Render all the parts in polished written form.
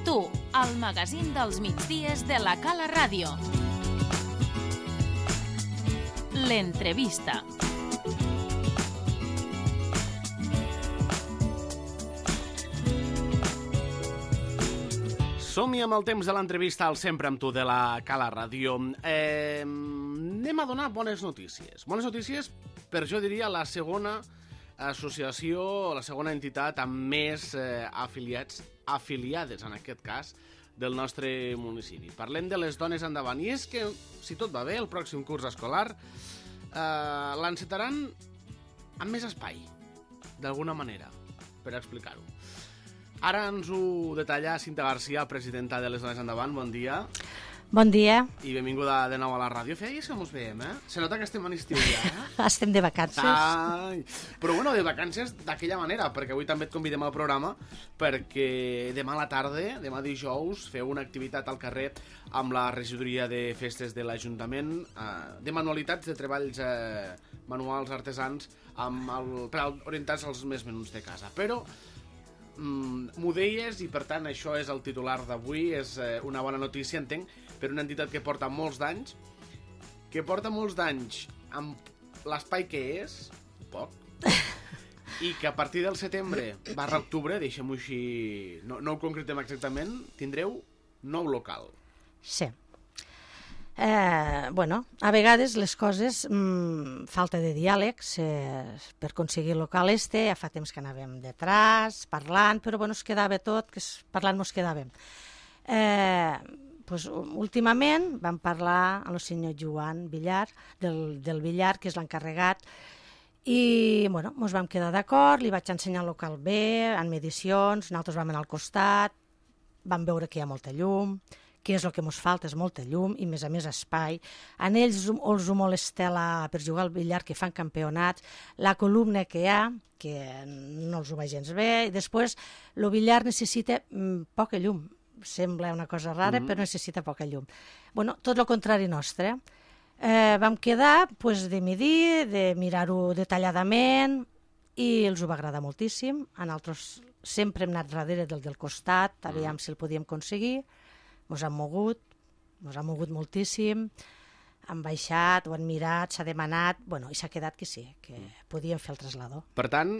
Tu, el magazín dels migdies de la Cala Ràdio. L'entrevista. Som-hi amb el temps de l'entrevista al Sempre amb tu de la Cala Ràdio. Anem a donar bones notícies. Bones notícies per, jo diria, la segona associació, la segona entitat amb més afiliades, en aquest cas, del nostre municipi. Parlem de les Dones Endavant. I és que, si tot va bé, el pròxim curs escolar l'encetaran amb més espai, d'alguna manera, per explicar-ho. Ara ens ho detalla Cinta Garcia, presidenta de les Dones Endavant. Bon dia. Bon dia. I benvinguda de nou a la ràdio. Feia que mos veiem, eh? Se nota que estem en estiu ja, eh? Estem de vacances. Ai. Però bueno, de vacances d'aquella manera, perquè avui també et convidem al programa, perquè demà a la tarda, demà dijous, feu una activitat al carrer amb la regidoria de festes de l'Ajuntament, de manualitats, de treballs manuals, artesans, per orientar-se als més menuts de casa. Però m'ho deies, i per tant això és el titular d'avui, és una bona notícia, entenc, per una entitat que porta molts d'anys amb l'espai que és, poc, i que a partir del setembre/octubre, deixem-ho així, no ho concretem exactament, tindreu nou local. Sí. Bueno, a vegades les coses, falta de diàleg per aconseguir el local ja fa temps que anàvem detrás, parlant, però bueno, es quedava tot, que parlant mos quedàvem. Pues, últimament vam parlar amb el senyor Joan Villar, del Villar, que és l'encarregat, i bueno, mos vam quedar d'acord, li vaig ensenyar el local bé, en medicions, nosaltres vam anar al costat, vam veure que hi ha molta llum, que és el que ens falta, és molta llum i, a més, espai. En ells els ho molesta per jugar al billar, que fan campionats, la columna que hi ha, que no els ho va gens bé, i després el billar necessita poca llum. Sembla una cosa rara, però necessita poca llum. Bueno, tot el contrari nostre. Vam quedar de medir, de mirar-ho detalladament, i els ho va agradar moltíssim. A nosaltres sempre hem anat darrere del costat, aviam si el podíem aconseguir. Ens han mogut moltíssim, han baixat, ho han mirat, s'ha demanat, bueno, i s'ha quedat que sí, que podíem fer el trasllador. Per tant,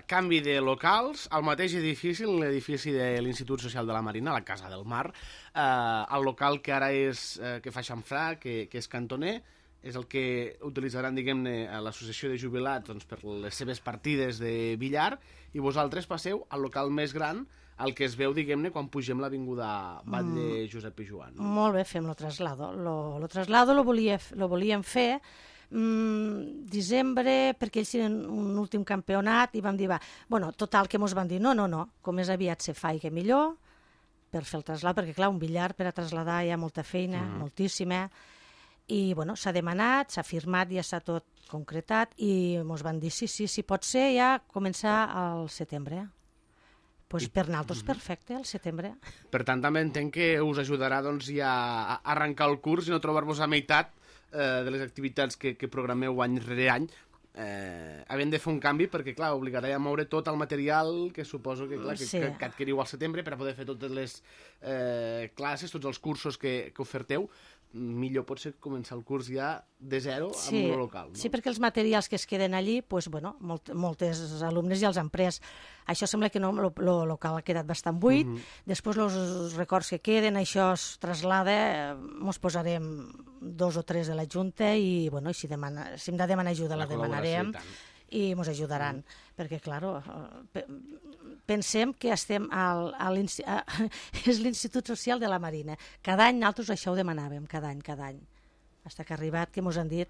canvi de locals, al mateix edifici, l'edifici de l'Institut Social de la Marina, la Casa del Mar, el local que ara és, que fa xamfrà, que és cantoner, és el que utilitzaran, diguem-ne, l'associació de jubilats per les seves partides de billar, i vosaltres passeu al local més gran, el que es veu, diguem-ne, quan pugem l'avinguda Batlle Josep Pijuan. No? Molt bé, fem el traslado. El traslado lo volíem fer desembre, perquè ells tenen un últim campionat, i vam dir, bueno, total, que mos van dir, no, com més aviat se fa i que millor, per fer el traslado, perquè clar, un billar per a trasladar hi ha molta feina, moltíssima, i bueno, s'ha demanat, s'ha firmat, ja s'ha tot concretat, i mos van dir, sí, pot ser ja començar al setembre. Pues per nosaltres perfecte, al setembre. Per tant, també entenc que us ajudarà ja a arrencar el curs i no trobar-vos a meitat de les activitats que programeu any rere any, havent de fer un canvi, perquè clar, obligarà a moure tot el material que suposo que adquiriu al setembre per a poder fer totes les classes, tots els cursos que oferteu. Millor pot ser començar el curs ja de zero amb un local. No? Sí, perquè els materials que es queden allí, moltes alumnes ja els han pres. Això sembla que no, el local ha quedat bastant buit. Després els records que queden, això es traslada, ens posarem 2 o 3 de la Junta i si hem de demanar ajuda la demanarem i ens ajudaran. Perquè, clar, pensem que estem és l'Institut Social de la Marina. Cada any nosaltres això ho demanàvem, cada any. Fins que ha arribat, que ens han dit,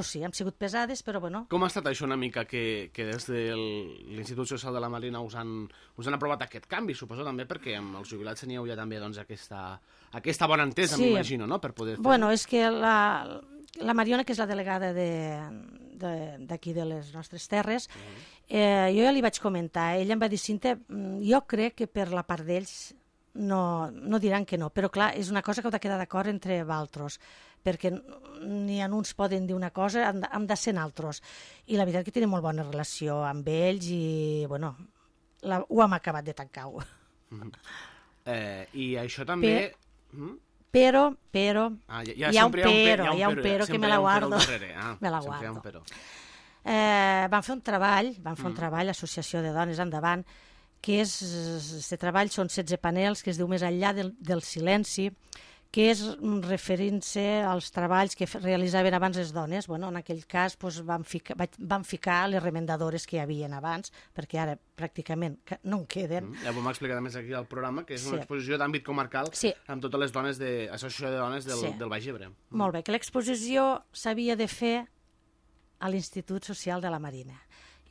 sí, hem sigut pesades, però bueno. Com ha estat això una mica que des de l'Institut Social de la Marina us han aprovat aquest canvi? Suposo també perquè amb els jubilats teníeu ja també aquesta bona entesa, m'imagino, no? Per poder fer... Bueno, és que la Mariona, que és la delegada d'aquí de les nostres terres, jo ja li vaig comentar, ella em va dir, Cinta, jo crec que per la part d'ells no diran que no, però clar, és una cosa que heu de quedar d'acord entre vosaltres, perquè ni en uns poden dir una cosa, hem de ser altres. I la veritat que tenim molt bona relació amb ells i, bueno, ho hem acabat de tancar. I això també... Però, hi ha un però que me la guardo. Me la guardo. Van fer un treball, l'Associació de Dones Endavant, que és, este treball són 16 panels, que es diu Més enllà del silenci, que és referint-se als treballs que realitzaven abans les dones. Bueno, en aquell cas van ficar les remendadores que hi havia abans, perquè ara pràcticament no en queden. Ja vam explicar més aquí al programa, que és una exposició d'àmbit comarcal amb totes les dones de l'Associació de Dones del Baix Ebre. Molt bé, que l'exposició s'havia de fer a l'Institut Social de la Marina.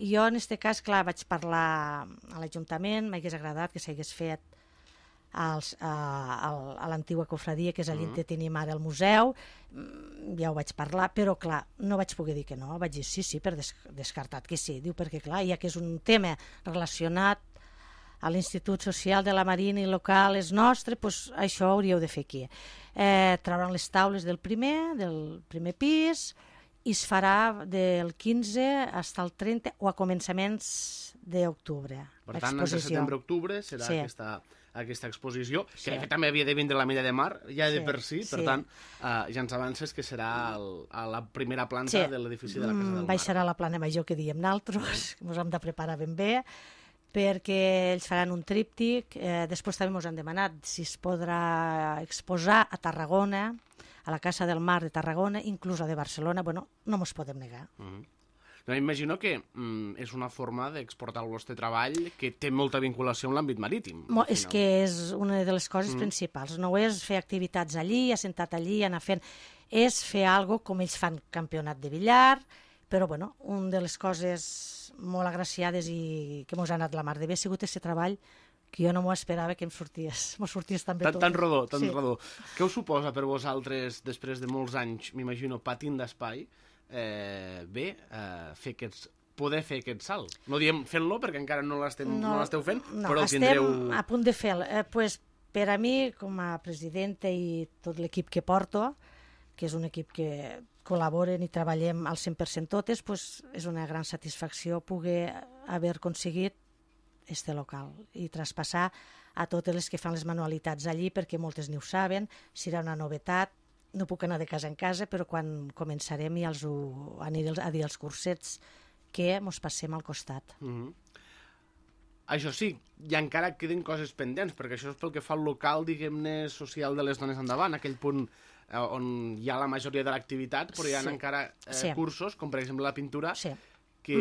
I jo, en aquest cas, clar, vaig parlar a l'Ajuntament, m'hagués agradat que s'hagués fet a l'antiga cofradia, que és a l'Inte tenim ara el museu, ja ho vaig parlar, però clar, no vaig poder dir que no, vaig dir sí, per descartat que sí, diu, perquè clar, ja que és un tema relacionat a l'Institut Social de la Marina i local és nostre, doncs això hauríeu de fer aquí. Trauran les taules del primer pis, i es farà del 15 fins al 30 o a començaments d'octubre. Per tant, entre setembre-octubre serà aquesta exposició, que també havia de vindre a la Mella de Mar, ja de per si, per tant, ja ens avances que serà a la primera planta de l'edifici de la Casa del Mar. Baixarà la plana major que diem nosaltres, que ens hem de preparar ben bé, perquè ells faran un tríptic, després també ens han demanat si es podrà exposar a Tarragona, a la Casa del Mar de Tarragona, inclús a de Barcelona, bueno, no ens podem negar. M'imagino que és una forma d'exportar el vostre treball que té molta vinculació amb l'àmbit marítim. És que és una de les coses principals. No és fer activitats allí, assentat allí, anar fent... És fer alguna cosa com ells fan campionat de billar, però bueno, una de les coses molt agraciades i que ens ha anat la mar de bé ha sigut aquest treball que jo no m'ho esperava que em sorties tan bé tot. Tan rodó. Què us suposa per vosaltres, després de molts anys, m'imagino, patint d'espai, poder fer aquest salt? No diem fent-lo perquè encara no l'esteu fent, però el tindreu... Estem a punt de fer-lo. Per a mi, com a presidenta i tot l'equip que porto, que és un equip que col·laboren i treballem al 100% totes, és una gran satisfacció poder haver aconseguit este local i traspassar a totes les que fan les manualitats allí, perquè moltes ni ho saben, serà una novetat. No puc anar de casa en casa, però quan començarem ja aniré a dir als cursets que mos passem al costat. Això sí, i encara queden coses pendents, perquè això és pel que fa al local, diguem-ne, social de les dones endavant, aquell punt on hi ha la majoria de l'activitat, però hi ha encara cursos, com per exemple la pintura, que,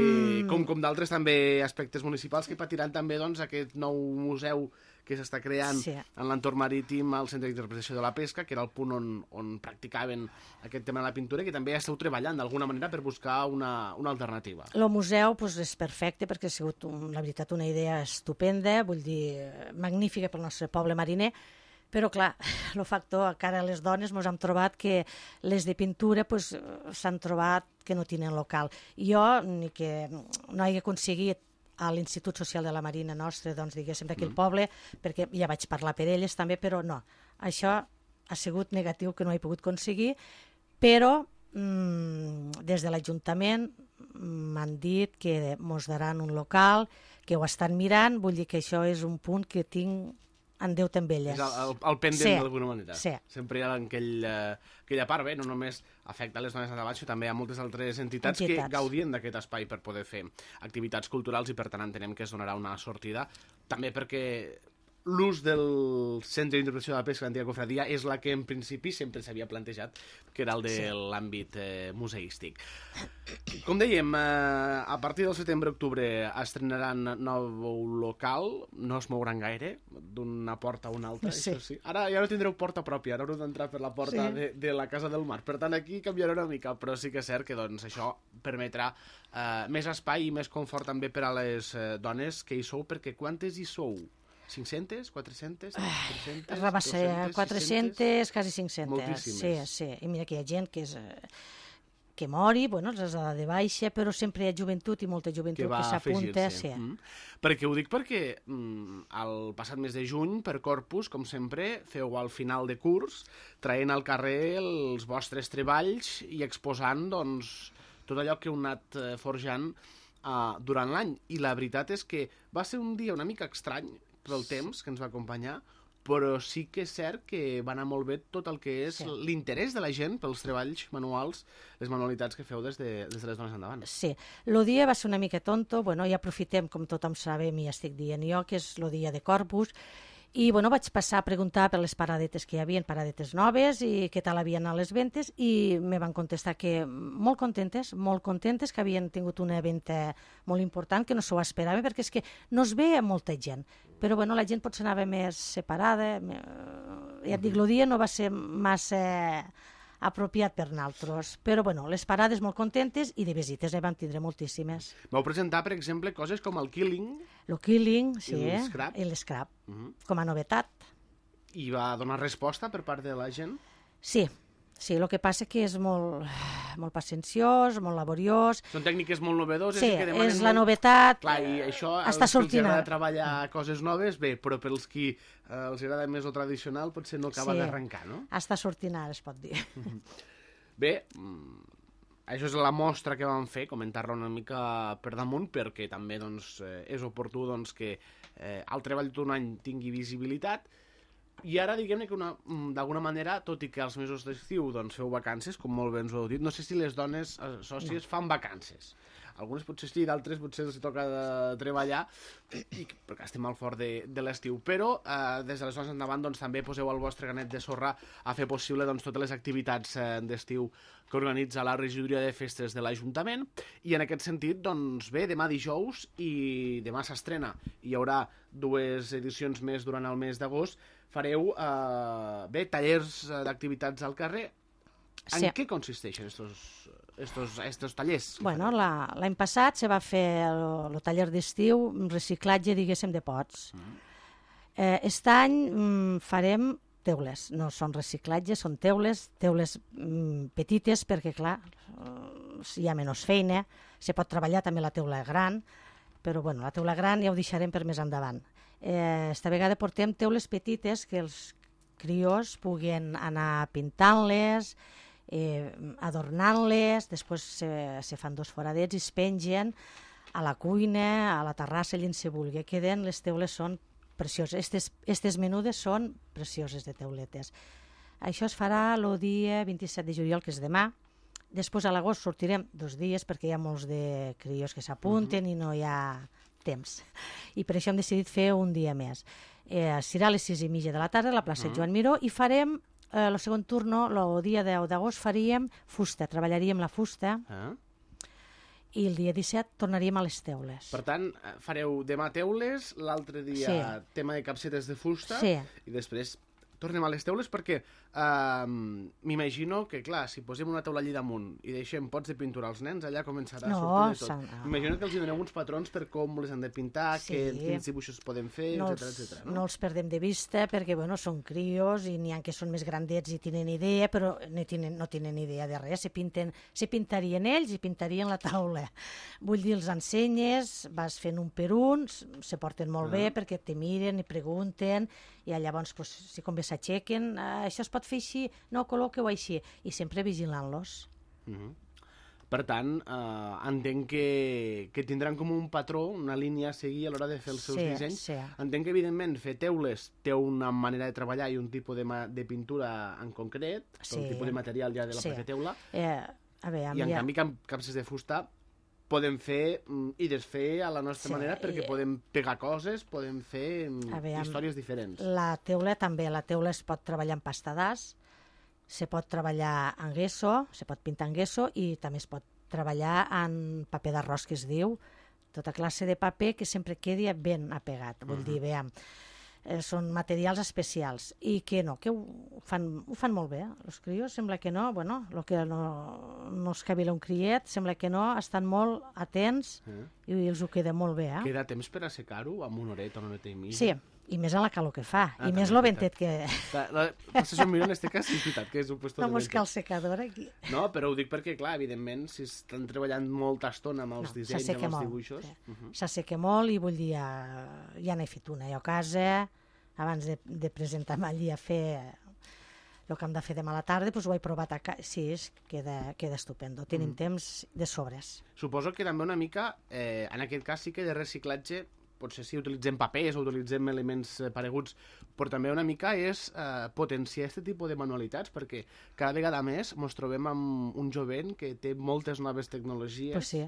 com d'altres també aspectes municipals que patiran també aquest nou museu que s'està creant en l'entorn marítim al Centre d'Interpretació de la Pesca, que era el punt on practicaven aquest tema de la pintura, que també esteu treballant d'alguna manera per buscar una alternativa. El museu és perfecte perquè ha sigut, la veritat, una idea estupenda, vull dir, magnífica pel nostre poble mariner, però clar, el factor que ara les dones ens hem trobat que les de pintura s'han trobat que no tenen local. Jo, ni que no hagi aconseguit a l'Institut Social de la Marina nostre, doncs, diguéssim, d'aquell poble, perquè ja vaig parlar per elles també, però no. Això ha sigut negatiu que no he pogut aconseguir, però des de l'Ajuntament m'han dit que mos daran un local, que ho estan mirant, vull dir que això és un punt que tinc en Déu també elles. És el pendent d'alguna manera. Sempre hi ha aquella part, no només afecta les dones endavant, sinó també hi ha moltes altres entitats que gaudien d'aquest espai per poder fer activitats culturals i per tant entenem que es donarà una sortida, també perquè l'ús del Centre d'Interpretació de la Pesca, l'antiga cofradia, és la que en principi sempre s'havia plantejat, que era el de l'àmbit museístic. Com dèiem, a partir del setembre-octubre estrenaran nou local, no es mouran gaire, d'una porta a una altra, això sí. Ara ja no tindreu porta pròpia, ara haureu d'entrar per la porta de la Casa del Mar, per tant aquí canviarà una mica, però sí que és cert que això permetrà més espai i més confort també per a les dones que hi sou, perquè quantes hi sou? 500, 400, 300, va ser 400, quasi 500. Moltíssimes. Sí. I mira que hi ha gent que mori, bueno, els ha de baixa, però sempre hi ha joventut i molta joventut que s'apunta. Perquè ho dic perquè el passat mes de juny, per Corpus, com sempre, feu al final de curs, traient al carrer els vostres treballs i exposant tot allò que heu anat forjant durant l'any. I la veritat és que va ser un dia una mica estrany pel temps que ens va acompanyar, però sí que és cert que va anar molt bé tot el que és l'interès de la gent pels treballs manuals, les manualitats que feu des de les dones endavant. Sí, el dia va ser una mica tonto, bueno, ja aprofitem, com tothom sabem i estic dient jo, que és el dia de Corpus, i bueno, vaig passar a preguntar per les paradetes que hi havia, paradetes noves, i què tal havien anat les ventes, i me van contestar que molt contentes, que havien tingut una venda molt important, que no s'ho esperava, perquè és que no es ve molta gent, però bueno, la gent potser anava més separada, ja et dic, el dia no va ser massa apropiat per naltros, però bueno, les parades molt contentes i de visites vam tindre moltíssimes. Vau presentar, per exemple, coses com el Killing. El Killing, sí, i l'Scrap, com a novetat. I va donar resposta per part de la gent? Sí, el que passa que és molt pacienciós, molt laboriós. Són tècniques molt novedoses. Sí, i que demanen és la novetat. Clar, i això, està sortint. Els agrada treballar coses noves, bé, però pels qui els agrada més el tradicional potser no acaba d'arrencar, no? Està sortint ara, es pot dir. Bé, això és la mostra que vam fer, comentar-la una mica per damunt, perquè també doncs, és oportú doncs, que el treball d'un any tingui visibilitat. I ara, diguem-ne que d'alguna manera, tot i que als mesos d'estiu doncs, feu vacances, com molt bé ens ho heu dit, no sé si les dones sòcies fan vacances. Algunes potser sí, d'altres potser els toca treballar, perquè estem al fort de l'estiu. Però des d'aleshores endavant doncs, també poseu el vostre granet de sorra a fer possible doncs, totes les activitats d'estiu que organitza la regidoria de festes de l'Ajuntament. I en aquest sentit, doncs bé, demà dijous i demà s'estrena. Hi haurà 2 edicions més durant el mes d'agost. Fareu tallers d'activitats al carrer. En què consisteixen estos tallers? Bueno, l'any passat se va fer el taller d'estiu, reciclatge, diguéssim, de pots. Aquest any farem teules, no són reciclatges, són teules petites, perquè, clar, hi ha menys feina, se pot treballar també la teula gran, però bueno, la teula gran ja ho deixarem per més endavant. Esta vegada portem teules petites que els crios puguen anar pintant-les, adornant-les, després se fan 2 foradets i es pengen a la cuina, a la terrassa, allà on se vulgui. Queden, les teules són precioses. Estes menudes són precioses de teuletes. Això es farà el dia 27 de juliol, que és demà. Després a l'agost sortirem 2 dies perquè hi ha molts de crios que s'apunten i no hi ha temps. I per això hem decidit fer un dia més. Serà a les 6:30 de la tarda a la plaça Joan Miró i farem el segon turno, el dia 10 d'agost faríem fusta, treballaríem la fusta i el dia 17 tornaríem a les teules. Per tant, fareu demà teules, l'altre dia tema de capsetes de fusta i després tornem a les teules perquè m'imagino que, clar, si posem una taula allà damunt i deixem pots de pintura als nens, allà començarà a sortir de tot. M'imagino que els doneu uns patrons per com les han de pintar, quins dibuixos poden fer, etc. No els perdem de vista perquè, bueno, són crios i n'hi ha que són més grandets i tenen idea, però no tenen idea de res. Se pintarien ells i pintarien la taula. Vull dir, els ensenyes, vas fent un per un, se porten molt bé perquè te miren i pregunten i llavors, si com bé s'aixequen, això es pot fer així, no, col·loqueu així, i sempre vigilant-los. Per tant, entenc que tindran com un patró, una línia a seguir a l'hora de fer els seus dissenys. Entenc que, evidentment, fer teules té una manera de treballar i un tipus de pintura en concret, un tipus de material ja de la pròpia teula, i en canvi capses de fusta podem fer i desfer a la nostra manera perquè podem pegar coses, podem fer històries diferents. La teula també, la teula es pot treballar en pasta d'as, se pot treballar en gesso, se pot pintar en gesso i també es pot treballar en paper d'arròs, que es diu, tota classe de paper que sempre quedi ben apegat. Vull dir, veiem, són materials especials i que ho fan molt bé. Els crios sembla que no, bueno, el que no es cavila un criet, sembla que no, estan molt atents i els ho queda molt bé. Queda temps per assecar-ho amb una horeta i mitja? Sí, i més en la calor que fa, i més lo ventet que... Potser som millor en este cas, sí, és veritat, que és un puesto de ventet. No buscar el secador aquí. No, però ho dic perquè, clar, evidentment, si estan treballant molta estona amb els dissenys, amb els dibuixos... S'asseca molt i vull dir, ja n'he fet una jo a casa, abans de presentar-me allí a fer el que hem de fer demà a la tarda, doncs ho he provat a casa. Sí, queda estupendo. Tenim temps de sobres. Suposo que també una mica, en aquest cas sí que de reciclatge potser sí utilitzem papers o utilitzem elements pareguts, però també una mica és potenciar aquest tipus de manualitats, perquè cada vegada més ens trobem amb un jovent que té moltes noves tecnologies, Pues sí.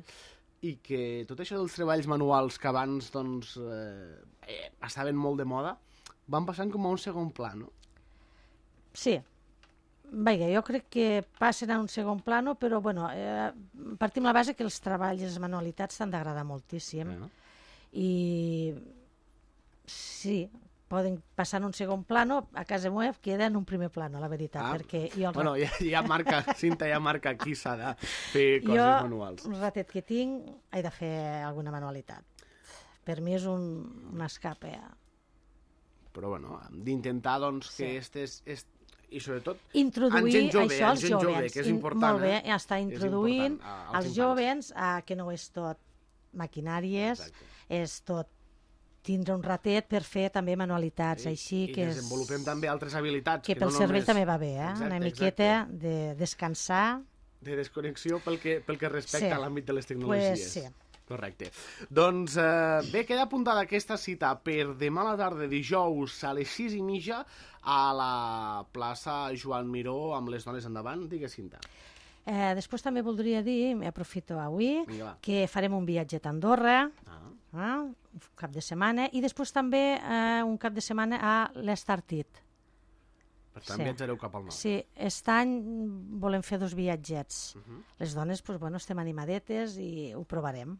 i que tot això dels treballs manuals que abans doncs, estaven molt de moda, van passant com a un segon pla, no? Sí. Vaja, jo crec que passen a un segon plano, però bueno, partim la base que els treballs i les manualitats t'han d'agradar moltíssim. I sí, poden passar en un segon plano, a casa meva queda en un primer plano, la veritat, perquè jo... Bueno, ja marca, Cinta ja marca aquí s'ha de fer coses manuals. Jo, un ratet que tinc, he de fer alguna manualitat. Per mi és un escape. Però bueno, d'intentar doncs que i sobretot introduir en gent jove, això als jovens. que és important. Molt bé, està introduint als infants. jovens que no és tot maquinàries, és tot tindre un ratet per fer també manualitats, així I que desenvolupem també altres habilitats. que pel cervell també va bé, Exacte, una miqueta de descansar. De desconnexió pel que respecta a l'àmbit de les tecnologies. Pues sí. Correcte. Doncs bé, queda apuntada aquesta cita per demà a la tarda, dijous, a les 6:30, a la plaça Joan Miró, amb les dones endavant. Digues, Cinta. Després també voldria dir, aprofito avui, Vinga, va. que farem un viatget a Andorra, un cap de setmana, i després també un cap de setmana a l'Estartit. Per tant, viatjareu cap al nord. Sí, aquest any volem fer 2 viatgets. Les dones, doncs, bueno, estem animadetes i ho provarem.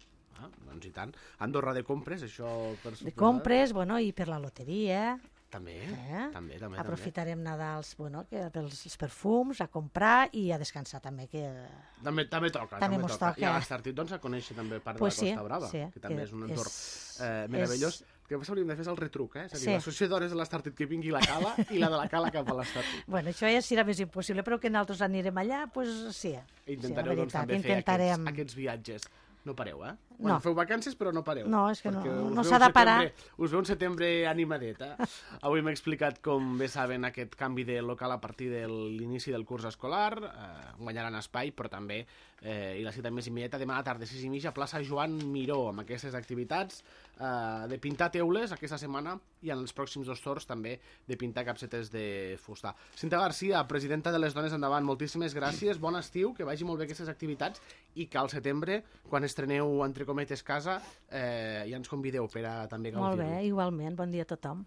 Doncs i tant. Andorra de compres, això per suposar. De compres, bueno, i per la loteria. També, també. Aprofitarem Nadals, bueno, pels perfums, a comprar i a descansar també, que... També toca. També mos toca. I a l'Estartit, doncs, a conèixer també part Pues de la Costa Brava, sí, que també és un entorn és- meravellós. Que després hauríem de fer el retruc, És a dir, Sí. l'associació d'hores de l'Estartit que vingui la cala i la de la cala cap a l'Estartit. Bueno, això ja serà més impossible, però que nosaltres anirem allà, doncs sí. Intentareu, Sí, la doncs, veritat, també fer aquests viatges. No pareu, Bueno, feu vacances, però no pareu. No, és que Perquè no us no veu s'ha de un parar. Us veu un setembre animadet, Avui m'he explicat, com bé saben, aquest canvi de local a partir de l'inici del curs escolar. Guanyaran espai, però també, i la cita més immediata, demà a la tarda, 6:30, plaça Joan Miró, amb aquestes activitats de pintar teules aquesta setmana i en els pròxims 2 torns també de pintar capsetes de fusta. Cinta Garcia, presidenta de les Dones Endavant, moltíssimes gràcies, bon estiu, que vagi molt bé aquestes activitats i que al setembre, quan estreneu, entre cometes, casa, ja ens convideu per a també gaudir-ho. Molt bé, igualment, bon dia a tothom.